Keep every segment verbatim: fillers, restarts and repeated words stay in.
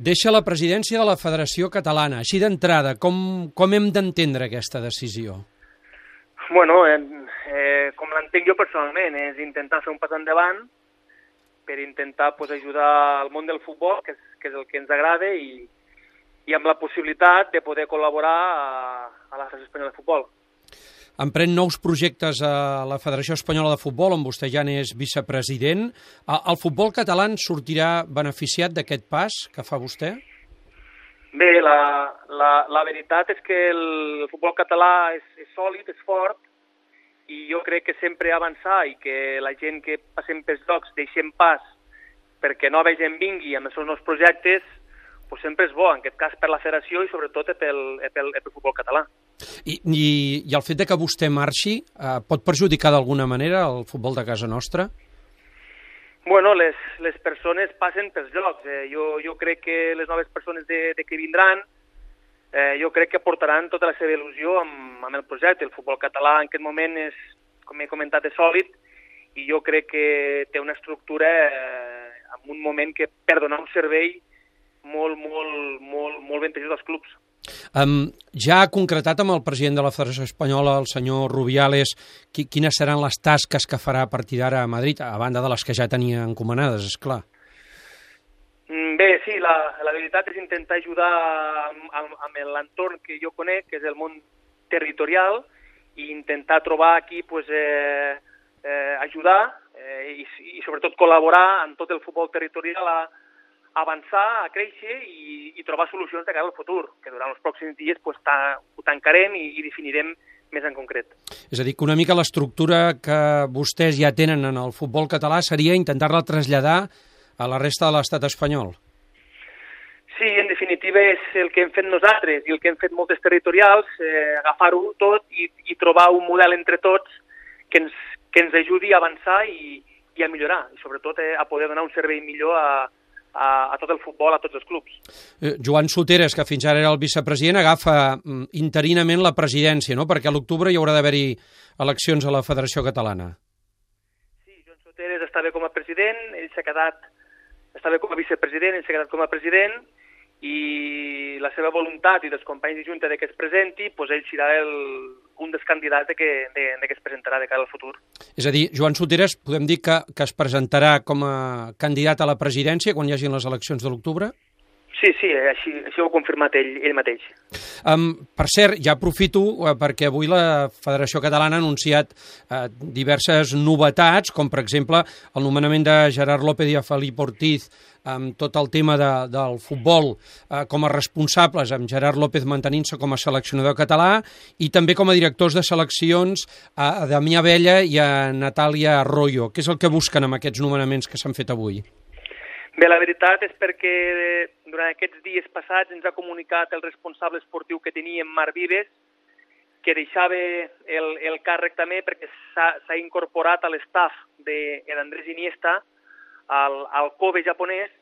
Deixa la presidència de la Federació Catalana. Així d'entrada, com, com hem d'entendre aquesta decisió? Bueno, eh, eh, com l'entenc jo personalment, és intentar fer un pas endavant per intentar pues, ajudar al món del futbol, que és, que és el que ens agrada, i, i amb la possibilitat de poder col·laborar a, a la Federació Espanyola de Futbol. Emprèn nous projectes a la Federació Espanyola de Futbol, on vostè ja n'és vicepresident. El futbol català sortirà beneficiat d'aquest pas que fa vostè? Bé, la, la, la veritat és que el futbol català és, és sòlid, és fort, i jo crec que sempre avançar i que la gent que passem pels llocs deixem pas perquè nova gent vingui amb els seus nous projectes, pues sempre és bo, en aquest cas per la federació i sobretot pel, pel, pel futbol català. I, i, I el fet de que vostè marxi eh, pot perjudicar d'alguna manera el futbol de casa nostra? Bueno, les, les persones passen pels llocs. Eh, jo, jo crec que les noves persones de, de que vindran, eh, jo crec que portaran tota la seva il·lusió amb, amb el projecte. El futbol català en aquest moment és, com he comentat, és sòlid, i jo crec que té una estructura eh, en un moment que per donar un servei molt, molt, molt, molt ventajós als clubs. Um, ja ha concretat amb el president de la Federació Espanyola, el senyor Rubiales, qui, quines seran les tasques que farà a partir d'ara a Madrid, a banda de les que ja tenia encomanades, esclar. Bé, sí, la, la veritat és intentar ajudar amb, amb, amb l'entorn que jo conec, que és el món territorial, i intentar trobar aquí, pues, eh, eh, ajudar eh, i, i sobretot col·laborar amb tot el futbol territorial a avançar, a créixer i, i trobar solucions de cara al futur, que durant els pròxims dies pues, ta, ho tancarem i, i definirem més en concret. És a dir, que una mica l'estructura que vostès ja tenen en el futbol català seria intentar-la traslladar a la resta de l'estat espanyol. Sí, en definitiva és el que hem fet nosaltres i el que hem fet moltes territorials, eh, agafar-ho tot i, i trobar un model entre tots que ens, que ens ajudi a avançar i, i a millorar, i sobretot eh, a poder donar un servei millor a A, a tot el futbol, a tots els clubs. Eh, Joan Soteres, que fins ara era el vicepresident, agafa mm, interinament la presidència, no? Perquè a l'octubre hi haurà d'haver-hi eleccions a la Federació Catalana. Sí, Joan Soteres està bé com a president, ell s'ha quedat, està bé com a vicepresident, ell s'ha quedat com a president, i la seva voluntat i dels companys de Junta de que es presenti, doncs ell serà el, un dels candidats de que, de, de que es presentarà de cara al futur. És a dir, Joan Soteres, podem dir que, que es presentarà com a candidat a la presidència quan hi hagin les eleccions de l'octubre? Sí, sí, així, així ho ha confirmat ell, ell mateix. Um, per cert, ja aprofito uh, perquè avui la Federació Catalana ha anunciat uh, diverses novetats, com per exemple el nomenament de Gerard López i a Felip Ortiz amb tot el tema de, del futbol uh, com a responsables, amb Gerard López mantenint-se com a seleccionador català i també com a directors de seleccions a Damià Abella i a Natàlia Arroyo. Què és el que busquen amb aquests nomenaments que s'han fet avui? Bé, la veritat és perquè durant aquests dies passats ens ha comunicat el responsable esportiu que teníem, Marc Vives, que deixava el, el càrrec també perquè s'ha incorporat a l'estaf d'Andrés Iniesta al, al Kobe japonès,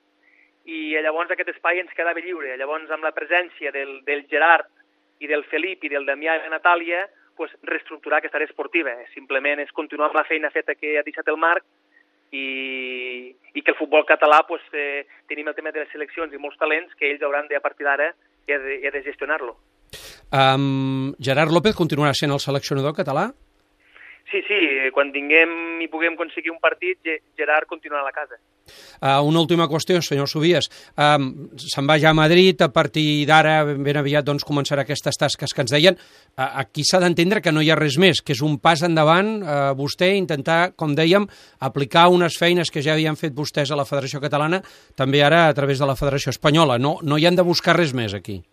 i llavors aquest espai ens quedava lliure. Llavors, amb la presència del, del Gerard i del Felip i del Damià i de Natàlia, pues, reestructurar aquesta àrea esportiva. Simplement és continuar amb la feina feta que ha deixat el Marc, I, i que el futbol català pues, eh, tenim el tema de les seleccions i molts talents que ells hauran de, a partir d'ara de, de, de gestionar-lo. Um, Gerard López continuarà sent el seleccionador català? Sí, sí, quan tinguem i puguem aconseguir un partit, Gerard continuarà a la casa. Uh, una última qüestió, senyor Subies. Um, se'n va ja a Madrid, a partir d'ara ben aviat doncs, començarà aquestes tasques que ens deien. Uh, aquí s'ha d'entendre que no hi ha res més, que és un pas endavant, uh, vostè intentar, com dèiem, aplicar unes feines que ja havien fet vostès a la Federació Catalana, també ara a través de la Federació Espanyola. No, no hi han de buscar res més aquí.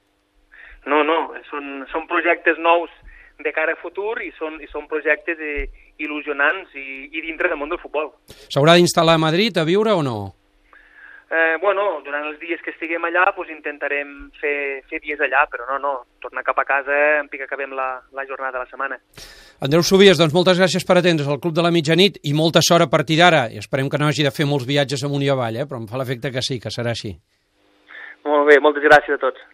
No, no, són, són projectes nous de cara a futur i són, i són projectes eh, il·lusionants i, i dintre del món del futbol. S'haurà d'instal·lar a Madrid a viure o no? Eh, bueno, durant els dies que estiguem allà pues, intentarem fer, fer dies allà, però no, no, tornar cap a casa en pic acabem la, la jornada de la setmana. Andreu Subies, doncs moltes gràcies per atendre's al Club de la Mitjanit i molta sort a partir d'ara. I esperem que no hagi de fer molts viatges amunt i avall, eh? Però em fa l'efecte que sí, que serà així. Molt bé, moltes gràcies a tots.